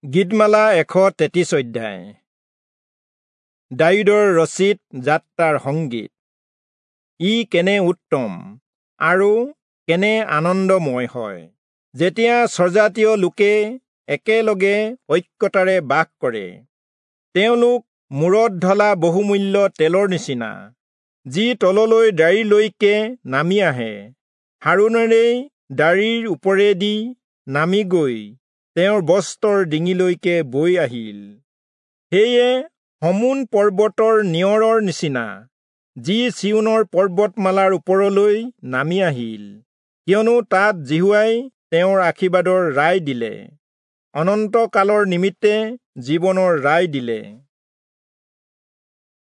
গীতমালা 133 অধ্যায়। দায়ূদৰ ৰচিত যাত্ৰাৰ সংগীত। ই কেনে উত্তম আৰু কেনে আনন্দময় হয় যেতিয়া স্বজাতীয় লোকে একেলগে ঐক্যতাৰে বাস কৰে। তেওঁলোক মূৰত ঢলা বহুমূল্য তেলৰ নিচিনা, যি তললৈ দাড়িলৈকে নামি আহে, হাৰোণেৰেই দাড়িৰ ওপৰেদি নামি গৈ তেওঁৰ বস্ত্ৰৰ ডিঙিলৈকে বৈ আহিল। সেয়ে হমোন পৰ্বতৰ নিয়ৰৰ নিচিনা, যি চিয়োনৰ পৰ্বতমালাৰ ওপৰলৈ নামি আহিল, কিয়নো তাত যিহোৱাই তেওঁৰ আশীৰ্বাদৰ ৰায় দিলে, অনন্তকালৰ নিমিত্তে জীৱনৰ ৰায় দিলে।